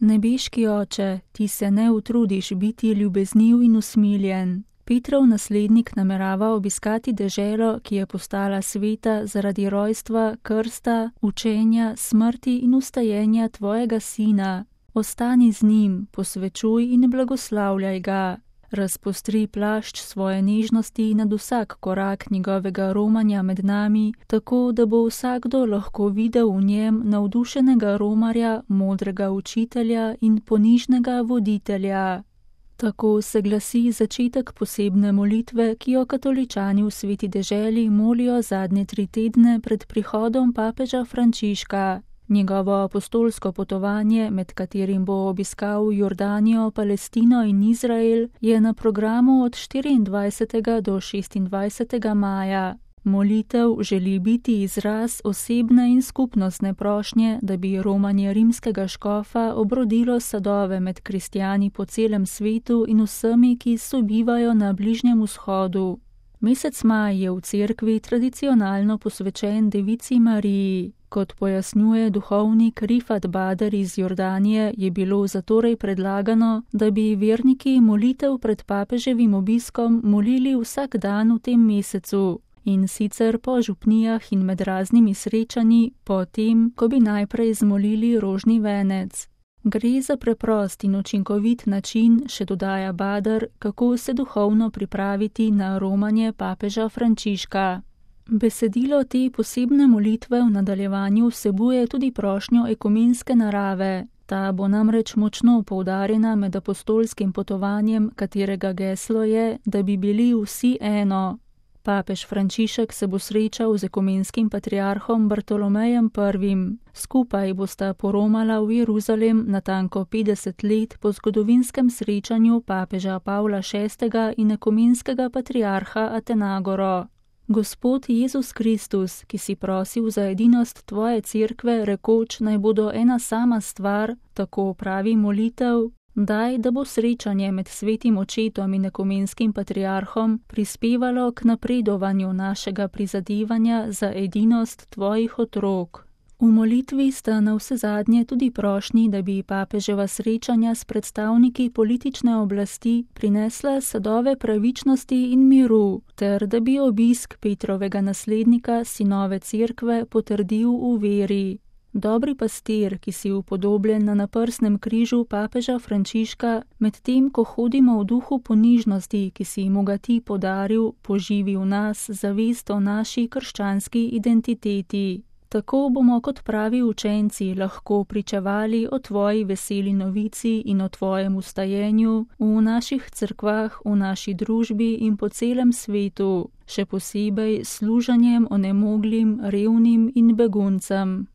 Nebeški Oče, ti se ne utrudiš biti ljubezniv in usmiljen. Petrov naslednik namerava obiskati deželo, ki je postala sveta zaradi rojstva, krsta, učenja, smrti in vstajenja tvojega sina. Ostani z njim, posvečuj in blagoslavljaj ga. Razpostri plašč svoje nežnosti nad vsak korak njegovega romanja med nami, tako da bo vsakdo lahko videl v njem navdušenega romarja, modrega učitelja in ponižnega voditelja. Tako se glasi začetek posebne molitve, ki jo katoličani v Sveti deželi molijo zadnje 3 tedne pred prihodom papeža Frančiška. Njegovo apostolsko potovanje, med katerim bo obiskal Jordanijo, Palestino in Izrael, je na programu od 24. do 26. maja. Molitev želi biti izraz osebne in skupnostne prošnje, da bi romanje rimskega škofa obrodilo sadove med kristjani po celem svetu in vsemi, ki sobivajo na Bližnjem vzhodu. Mesec maj je v cerkvi tradicionalno posvečen Devici Mariji. Kot pojasnjuje duhovnik Rifat Bader iz Jordanije, je bilo zatorej predlagano, da bi verniki molitev pred papeževim obiskom molili vsak dan v tem mesecu, in sicer po župnijah in med raznimi srečanji, po tem, ko bi najprej zmolili rožni venec. Gre za preprost in učinkovit način, še dodaja Bader, kako se duhovno pripraviti na romanje papeža Frančiška. Besedilo te posebne molitve v nadaljevanju vsebuje tudi prošnjo ekumenske narave. Ta bo namreč močno poudarjena med apostolskim potovanjem, katerega geslo je, da bi bili vsi eno. Papež Frančišek se bo srečal z ekumenskim patriarhom Bartolomejem I. Skupaj bosta poromala v Jeruzalem natanko 50 let po zgodovinskem srečanju papeža Pavla VI. In ekumenskega patriarha Atenagoro. Gospod Jezus Kristus, ki si prosil za edinost tvoje cerkve, rekoč, naj bodo ena sama stvar, tako pravi molitev, daj, da bo srečanje med svetim očetom in ekumenskim patriarhom prispevalo k napredovanju našega prizadevanja za edinost tvojih otrok. V molitvi sta navsezadnje tudi prošnji, da bi papeževa srečanja s predstavniki politične oblasti prinesla sadove pravičnosti in miru, ter da bi obisk Petrovega naslednika sinove cerkve potrdil v veri. Dobri pastir, ki si upodobljen na naprsnem križu papeža Frančiška, medtem ko hodimo v duhu ponižnosti, ki si mu ga ti podaril, poživi v nas zavest o naši krščanski identiteti. Tako bomo kot pravi učenci lahko pričevali o tvoji veseli novici in o tvojem vstajenju v naših cerkvah, v naši družbi in po celem svetu, še posebej služenjem onemoglim, revnim in beguncem.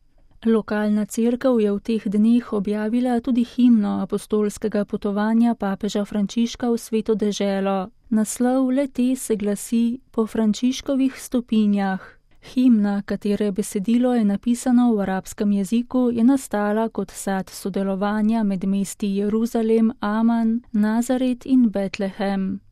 Lokalna cerkev je v teh dneh objavila tudi himno apostolskega potovanja papeža Frančiška v Sveto deželo. Naslov le-te se glasi Po Frančiškovih stopinjah. Himna, katere besedilo je napisano v arabskem jeziku, je nastala kot sad sodelovanja med mesti Jeruzalem, Aman, Nazaret in Betlehem.